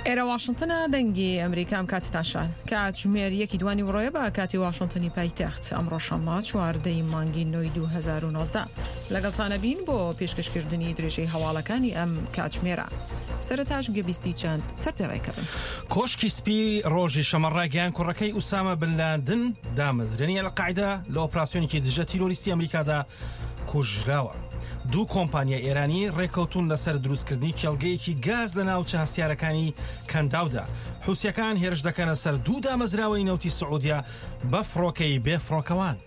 ئێرە واشنتنە دەنگی ئەمریکا ئەم کاتتان شاد کاتژمێر یەکی دوانی وڕۆیە بە کاتی واشنتنی پایتەخت ئەمڕۆ شەممە چواردەی مانگی نۆی 2019 لەگەڵتانە بین بۆ پێشکەشکردنی درێژەی هەواڵەکانی ئەم کاتژمێرە سەرەتاش گوێبیستی چەند سەردێڕێکە بن. کۆشکی سپی ڕۆژی شەمە ڕایگەیاند کوڕەکەی ئوسامە بن لادن دامەزرێنی ئەلقاعیدە لە ئۆپراسیۆنێکی دژە تیرۆریستی ئەمریکادا کوژراوە. دوو کۆمپانیای ئێرانی ڕێکەوتون لەسەر دروستکردنی کێڵگەیەکی گاز لە ناوچە هەستیارەکانی کەنداودا. حوسیەکان هێرش دەکەنە سەر دوو دامەزراوەی نەوتی سعودیە بە فڕۆکەی بێ فڕۆکەوان.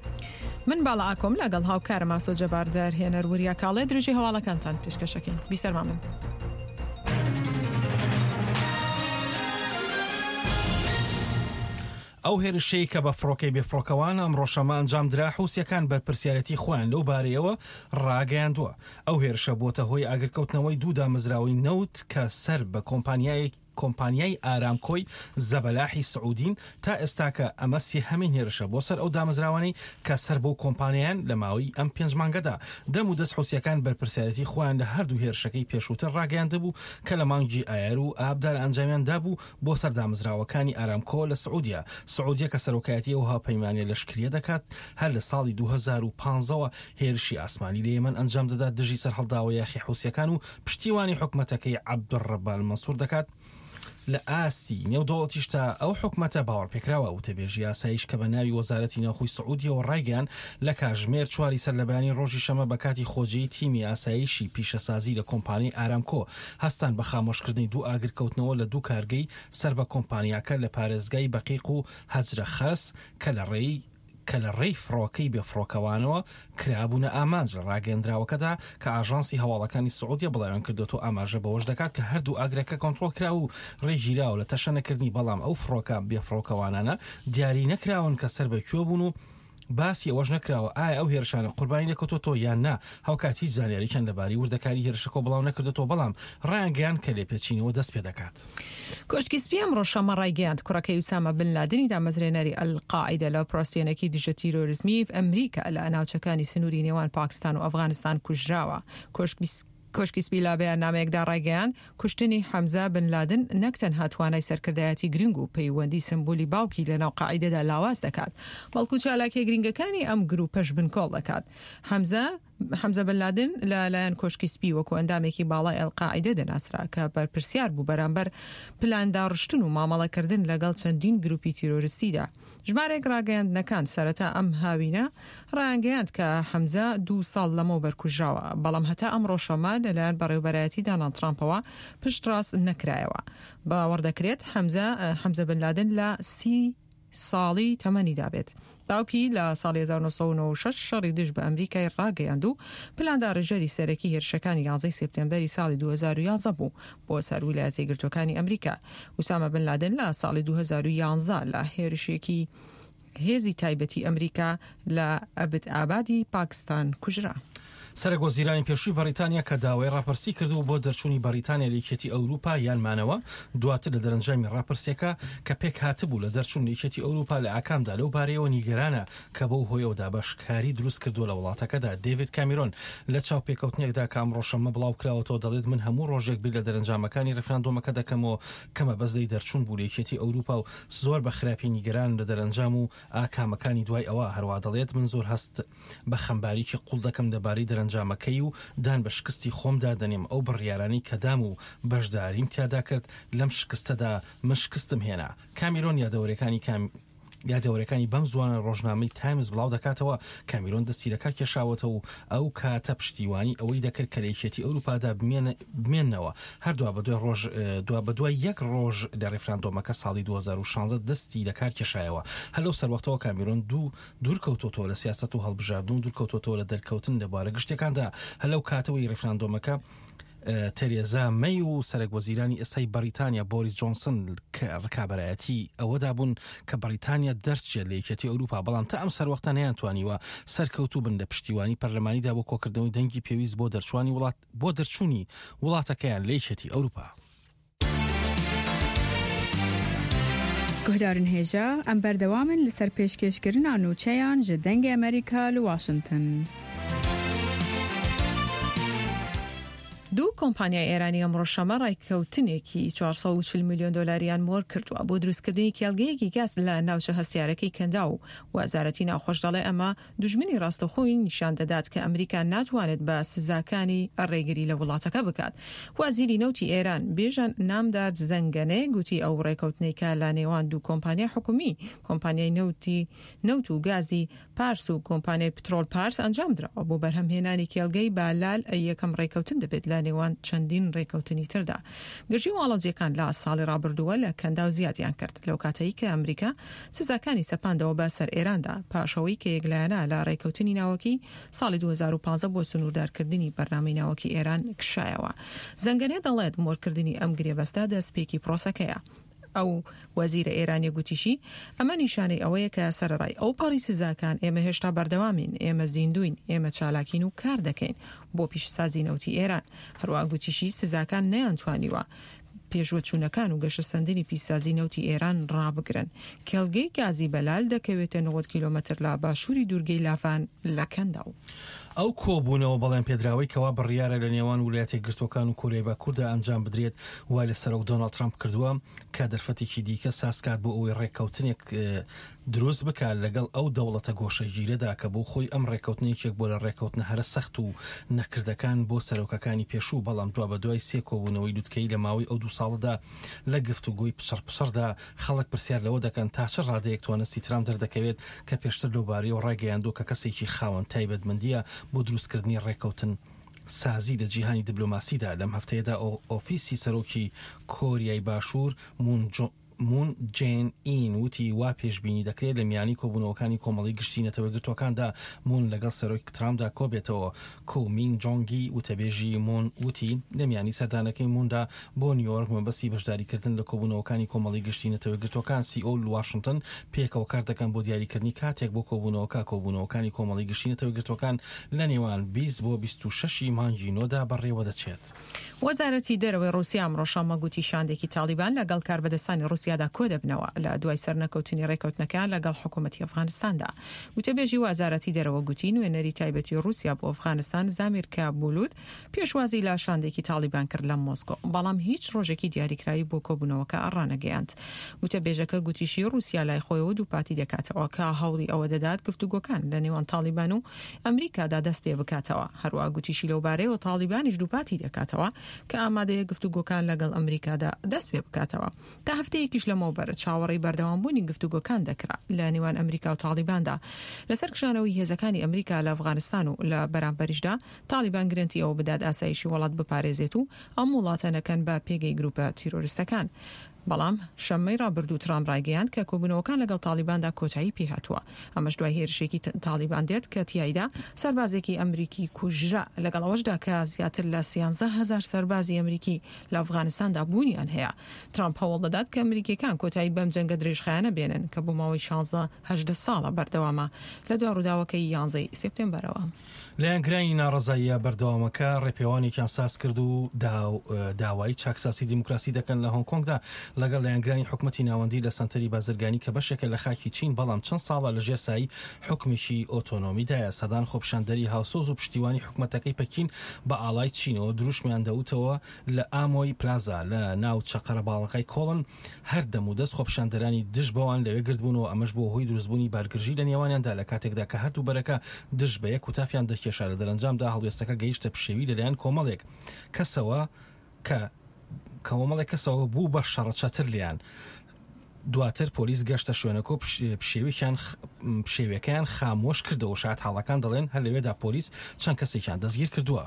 من باڵا ئاکۆم لەگەڵ هاوکارم ئاسۆ جەبار دەرهێنەر وریا کاڵێ درێژەی هەواڵەکانتان پێشکەشەکەین. بیسەرمان بن. ئەو هێرشەی کە بە فڕۆکەی بێفڕۆکەوان ئەمڕۆ شەممە ئەنجامدرا، حوسییەکان بەرپرسیارێتی خۆیان لەو بارەیەوە ڕاگەیاندووە. ئەو هێرشە بووەتە هۆی ئاگرکەوتنەوەی دوو دامەزراوەی نەوت کە سەر بە کۆمپانیای کۆمپانیای ئارامکۆی زەبەلاحی سعودین، تا ئێستاکە ئەمە سێهەمین هێرشە بۆ سەر ئەو دامەزراوانەی کە سەر بەو کۆمپانیایەن لە ماوەی ئەم پێنج مانگەدا. دەم و دەست حوسییەکان بەرپرسیارێتی خۆیان لە هەردوو هێرشەکەی پێشووتر ڕاگەیاندبوو کە لە مانگی ئایار و ئابدا ئەنجامیان دابوو بۆ سەر دامەزراوەکانی ئارامکۆ لە سعودیە. سعودیە کە سەرۆکایەتی ئەو هاوپەیمانیە لەشکریە دەکات، هەر لە ساڵی 2015 وە هێرشی ئاسمانی لە یەمەن ئەنجام دەدات دژی سەرهەڵداوە یاخی حوسیەکان و پشتیوانی حکومەتەکەی عەبدولڕەبا مەنسور دەکات. لە ئاستی نێودەوڵەتیشدا ئەو حکومەتە باوەڕپێکراوە. وتەبێژی ئاسایش کە بە ناوی وەزارەتی ناوخۆی سعودیەوە ڕایگەیاند، لە کاژمێر چواری سەرلەبەیانی ڕۆژی شەمە بە کاتی خۆجێی تیمی ئاسایشی پیشەسازی لە کۆمپانیای ئارامکۆ هەستان بە خامۆشکردنی دوو ئاگرکەوتنەوە لە دوو کارگەی سەر بە کۆمپانیاکە لە پارێزگای بەقیق و هەجرە خەرس کە لە ڕێی کە لە ڕێی فڕۆکەی بێفڕۆکەوانەوە کرابوونە ئامانج. لە ڕاگەیەندراوەکەدا کە ئاژانسی هەواڵەکانی سعودیە بڵاویان کردۆتەوە ئاماژە بەوەش دەکات کە هەردوو ئاگرەکە کۆنترۆڵ کراوە و ڕێگیراوە لە تەشەنەکردنی بەڵام ئەو فڕۆکە بێفڕۆکەوانانە دیاری نەکراون کە سەر بە کوێ بوون و باسی ئەوەش نەکراوە ئایا ئەو هێرشانە قوربانی لێکەوتۆتەوە یان نا، هاوکات هیچ زانیارییان لەبارەی وردەکاری هێرشەکەوە بڵاونەکردۆتەوە، بەڵام ڕایانگەیاند کە لێپێچینەوە دەستپێدەکات. کۆشکی سپی ئەمڕۆ شەممە ڕایگەیاند، کوڕەکەی ئوسامە بن لادنی دامەزرێنەری ئەلقاعیدە لە ئۆپراسیۆنێکی دژە تیرۆرزمی ئەمریکا لە ناوچەکانی سنووری نێوان پاکستان و ئەفغانستان کوژراوە. کۆشکی سپی لە بەیاننامەیەکدا ڕایگەیاند، کوشتنی حەمزە بن لادن نەک تەنها توانای سەرکردایەتی گرنگ و پەیوەندی سمبولی باوکی لەناو قاعیدەدا لاواز دەکات، بەڵکو چالاکیە گرنگەکانی ئەم گروپەش بنکۆڵ دەکات. حەمزە حەمزە بن لادن لە لایەن کۆشکی سپی وەکو ئەندامێکی باڵای ئەلقاعیدە دەناسرا کە بەرپرسیار بوو بەرامبەر پلانداڕشتن و مامەڵەکردن لەگەڵ چەندین گروپی تیرۆرستیدا. ژمارێک ڕاگەیاندنەکان سەرەتا ئەم هاوینە ڕایانگەیاند کە حەمزە دوو ساڵ لەمەوبەر کوژراوە، بەڵام هەتا ئەمڕۆ شەممە لەلایەن بەڕێوبەرایەتی داناڵد ترامپەوە پشتڕاست نەکرایەوە. باوەڕ دەکرێت حەمزە حەمزە بن لادن لە سی ساڵی تەمەنیدا بێت. باوکی لە ساڵی 1996 شەڕی دژ بە ئەمریکای ڕاگەیاند و پلانداڕێژەری سەرەکی هێرشەکانی یانزەی سێپتێمبەری ساڵی 2011 بوو بۆ سەر ویلایەتە یەکگرتووەکانی ئەمریکا. ئوسامە بن لادن لە ساڵی 2011 لە هێرشێکی هێزی تایبەتی ئەمریکا لە ئەبت ئابادی پاکستان کوژرا. سەرەک وەزیرانی پێشووی بەڕیتانیا کە داوای ڕاپرسی کردبوو بۆ دەرچوونی بەڕیتانیا لە یەکێتی ئەوروپا یان مانەوە، دواتر لە دەرەنجامی ڕاپرسیەکە کە پێکهاتبوو لە دەرچوون لە یەکێتی ئەوروپا لە ئاکامدا لەو بارەیەوە نیگەرانە کە بەو هۆیەوە دابەشکاری دروست کردووە لە وڵاتەکەدا. دێڤید کامیرۆن لە چاوپێکەوتنێکدا کە ئەمڕۆ شەممە بڵاوکراوەتەوە دەڵێت من هەموو ڕۆژێک بیر لە دەرەنجامەکانی ڕیفراندۆمەکە دەکەمەوە کە مەبەست لێی دەرچوون بوو لە یەکێتی ئەوروپا و زۆر بە خراپی نیگەرانم لە دەرەنجام و ئاکامەکانی دوای ئەوە. هەروا دەڵێت من زۆر هەست بە خەمباریی قوڵ دەکەم لەبارەی دەرەنجامەکەی و دان بە شکستی خۆمدا دەنێم، ئەو بڕیارانەی کە دام و بەشداریم تیادا کرد لەم شکستەدا من شکستم هێنا. کامیرۆن یادەوەریەکانی یادەوەریەکانی بەم زووانە ڕۆژنامەی تایمز بڵاو دەکاتەوە، کامیرۆن دەستی لەکار کێشاوەتەوە و ئەو کاتە پشتیوانی ئەوەی دەکرد کە لە یەکێتی ئەوروپادا بمێننەوە، هەر دوابەدوای ڕۆژ دوابەدوای یەک ڕۆژ لە ڕیفراندۆمەکە ساڵی 2016 دەستی لەکار کێشایەوە. هەر لەو سەروەختەوە کامیرۆن دوو دوورکەوتۆتەوە لە سیاسەت و هەڵبژاردن و دوورکەوتۆتەوە لە دەرکەوتن لە بوارە گشتیەکاندا. هەر لەو کاتەوەی ڕیفراندۆمەکە تێرێزا مەی و سەرەک وەزیرانی ئێستای بەڕیتانیا بۆریس جۆنسن کە ڕکابەرایەتی ئەوەدا بوون کە بەڕیتانیا دەرچێت لە یەکێتی ئەوروپا بەڵام تا ئەم سەروەختە نەیانتوانیوە سەرکەوتوو بن لە پشتیوانی پەرلەمانیدا بۆ کۆکردنەوەی دەنگی پێویست بۆ دەرچوانی وڵات بۆ دەرچوونی وڵاتەکەیان لە یەکێتی ئەوروپا. گوهدارن هێژا، ئەم بەردەوامن لەسەر پێشکێشکردنا نوچەیان ژە دەنگێ ئەمەریکا لە واشنتن. دوو کۆمپانیای ئێرانی ئەمڕۆ شەمە ڕایککەوتنێکی 440 ملیۆن دۆلاریان مۆر کردووە بۆ دروستکردنی کێڵگەیەکی گاز لە ناوچە هەستیارەکەی کەنداو و وەزارەتی ناوخۆش دەڵێ ئەمە دوژمنی ڕاستەوخۆی نیشان دەدات کە ئەمریکا ناتوانێت بە سزاکانی ڕێگری لە وڵاتەکە بکات. وەزیری نەوتی ئێران بیژەن نامدار زەنگەنێ گوتی ئەو ڕێکەوتنەی کە لە نێوان دوو کۆمپانیای حکومی، کۆمپانیای نەوتی نەوت و گازی پارس و کۆمپانیای پترۆل پارس ئەنجام دراوە بۆ بەرهەمهێنانی کێڵگەی بالال یەکەم ڕێکەوتن دەبێت لە نێوان چەندین ڕێکەوتنی تردا. گرژی و ئاڵۆزییەکان لە ساڵی ڕابردووە لە کەنداو زیادیان کرد لەو کاتەی کە ئەمریکا سزاکانی سەپاندەوە بە سەر ئێراندا پاش ئەوەی کە یەکلایەنە لە ڕێکەوتنی ناوەکی ساڵی 2015 بۆ سنووردارکردنی بەرنامەی ناوەکی ئێران کشایەوە. زەنگەنێ دەڵێت مۆرکردنی ئەم گرێبەستە دەستپێکی پرۆسەکەیە. ئەو وەزیرە ئێرانیە گوتیشی، ئەمە نیشانەی ئەوەیە کە سەرەڕای ئەوپەڕی سزاکان، ئێمە هێشتا بەردەوامین، ئێمە زیندووین، ئێمە چالاکین و کار دەکەین بۆ پیشەسازی نەوتی ئێران. هەروەها گوتیشی، سزاکان نەیانتوانیوە پێشوەچوونەکان و گەشەسەندنی پیشسازی نەوتی ئێران ڕابگرن. کێڵگەی گازی بەلال دەکەوێتە 90 کیلۆمەتر لە باشووری دوورگەی لاڤان لە کەنداو. ئەو کۆبوونەوە بەڵێنپێدراوەی کەوا بڕیارە لە نێوان ولایەتە یەکگرتووەکان و کۆریای باکووردا ئەنجام بدرێت وای لە سەرۆک دۆناڵد ترەمپ کردووە کە دەرفەتێکی دیکە سازکات بۆ ئەوەی ڕێککەوتنێک دروست بکات لەگەڵ ئەو دەوڵەتە گۆشەگیرەدا کە بۆ خۆی ئەم ڕێککەوتنە یەکێک بووە لە ڕێککەوتنە هەرە سەخت و نەکردەکان بۆ سەرۆکەکانی پێشوو بەڵام دوابەدوای سێ کۆبوونەوەی لوتکەیی لە ماوەی ئەو دوو ساڵەدا لە گفتوگۆی پچڕپچڕدا خەڵک پرسیار لەوە دەکەن تا چ ڕادەیەک توانستی ترامپ دەردەکەوێت کە پێشتر لەوبارەیەوە ڕایگەیاندووە کە کەسێکی خاوەن تایبەتمەندییە بۆ دروستکردنی ڕێککەوتن سازی لە جیهانی دبلۆماسیدا. لەم هەفتەیەدا ئۆفیسی سەرۆکی کۆریای باشوور مون مون جێن ئین وتی وا پێشبینی دەکرێت لە میانی کۆبوونەوەکانی کۆمەڵەی گشتی نەتەوەیەکگرتووەکاندا مون لەگەڵ سەرۆک ترامپدا کۆبێتەوە. کو مین جۆنگی وتەبێژی مون وتی لە میانی سەردانەکەی موندا بۆ نیویۆرک مەبەستی بەشداریکردن لە کۆبوونەوەکانی کۆمەڵەی گشتی نەتەوەیەکگرتووەکان سیئۆل و واشنتن پێکەوە کاردەکەن بۆ دیاریکردنی کاتێک بۆ کۆبوونەوەکە. کۆبوونەوەکانی کۆمەڵەی گشتی نەتەوەیەکگرتووەکان لە نێوان 20 بۆ 26 ی مانگی نۆدا بەڕێوەدەچێت. وەزارەتی دەرەوەی ڕووسیا ئەمڕۆ شەممە گوتی شاندێکی تاڵیبان لەگەڵ کاربەدەستانی ڕووسیادا کۆدەبنەوە لە دوای سەرنەکەوتنی ڕێکەوتنەکەیان لەگەڵ حکوومەتی ئەفغانستاندا. گوتەبێژی وەزارەتی دەرەوە گوتی نوێنەری تایبەتی ڕووسیا بۆ ئەفغانستان زامیر کابولوت پێشوازی لە شاندێکی تاڵیبان کرد لە مۆسکۆ، بەڵام هیچ ڕۆژێکی دیاریکراوی بۆ کۆبوونەوەکە ڕانەگەیاند. گوتەبێژەکە گوتیشی ڕووسیا لای خۆیەوە دووپاتی دەکاتەوە کە هەوڵی ئەوە دەدات گفتوگۆکان لە نێوان تاڵیبان و ئەمریکادا دەست پێ بکاتەوە. هەروەها گوتیشی لەوبارەیەوە تاڵیبانیش دووپاتی دەکاتەوە کە ئامادەیە گفتوگۆکان لەگەڵ ئەمریکادا دەست پێ بکاتەوە. تا هەفتەیەکیش لەمەوبەر چاوەڕێی بەردەوامبوونی گفتوگۆکان دەکرا لە نێوان ئەمریکا و تاڵیباندا لەسەر کشانەوەی هێزەکانی ئەمریکا لە ئەفغانستان و لە بەرامبەریشدا تاڵیبان گرەنتی ئەوە بدات ئاسایشی وڵات بپارێزێت و ئەم وڵاتە نەکەن بە پێگەی گروپە تیرۆریستەکان. بەڵام شەممەی ڕابردوو ترامپ ڕایگەیاند کە کۆبوونەوەکان لەگەڵ تاڵیباندا کۆتایی پێهاتووە، ئەمەش دوای هێرشێکی تاڵیبان دێت کە تیایدا سەربازێکی ئەمریکی کوژرا، لەگەڵ ئەوەشدا کە زیاتر لە 13,000 سەربازی ئەمریکی لە ئەفغانستاندا بوونیان هەیە. ترامپ هەوڵ دەدات کە ئەمریکییەکان کۆتایی بەم جەنگە درێژخایەنە بێنن کە بۆ ماوەی شانزە هەژدە ساڵە بەردەوامە لە دوا ڕووداوەکەی یانزەی سێپتێمبەرەوە. لایەنگرانی ناڕەزاییە بەردەوامەکە ڕێپێوانێکیان سازکرد و داوای چاکسازی دیموکراسی دەکەن لە هۆنگ کۆنگدا لەگەڵ لایەنگرانی حکومەتی ناوەندی لە سەنتەری بازرگانی کە بەشێکە لە خاکی چین بەڵام چەند ساڵە لە ژێر سایەی حوکمێکی ئۆتۆنۆمیدایە. سەدان خۆپیشاندەری هاوسۆز و پشتیوانی حکومەتەکەی پەکین بە ئاڵای چینەوە دروشمیان دەوتەوە لە ئامۆی پلازا لە ناوچە قەرەباڵغەکەی کۆڵن هەر دەمودەست خۆپیشاندەرانی دژ بەوان لەوێ گردبوونەوە، ئەمەش بووە هۆی دروستبوونی بارگرژی لە نێوانیاندا لە کاتێکدا کە هەردوو بەرەکە دژ بە یەک هوتافیان دەکێشا، لە دەرەنجامدا هەڵوێستەکە گەیشتە پشێوی لەلایەن کۆمەڵێک کەسەوە کە کۆمەڵێک کەسەوە بوو بە شەڕە چەتر لێیان. دواتر پۆلیس گەشتە شوێنەکە و پشێویان پشێویەکەیان خامۆش کردەوە، شایەتحاڵەکان دەڵێن هەر لەوێدا پۆلیس چەند کەسێکیان دەستگیر کردووە.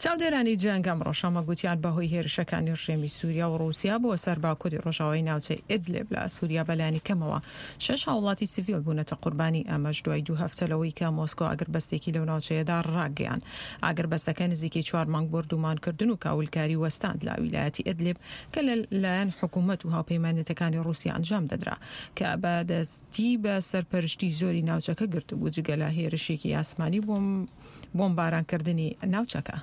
چاودێرانی جەنگ ئەمڕۆ شەممە گوتیان بەهۆی هێرشەکانی ڕژێمی سوریا و ڕووسیا بۆ سەر باکوری ڕۆژاوای ناوچەی ئیدلب لە سوریا بەلایەنی کەمەوە شەش هاوڵاتی سڤیل بوونەتە قوربانی، ئەمەش دوای دوو هەفتە لەوەی کە مۆسکۆ ئاگربەستێکی لەو ناوچەیەدا ڕاگەیاند. ئاگربەستەکە نزیکەی چوار مانگ بۆردومانکردن و کاولکاری وەستاند لە ویلایەتی ئیدلب کە لە لایەن حکومەت و هاوپەیمانێتەکانی ڕووسیا ئەنجام دەدرا کە بە دەستی بە سەرپەرشتی زۆری ناوچەکە گرتبوو جگە لە هێرشێکی ئاسمانی بۆ بۆمبارانکردنی ناوچەکە.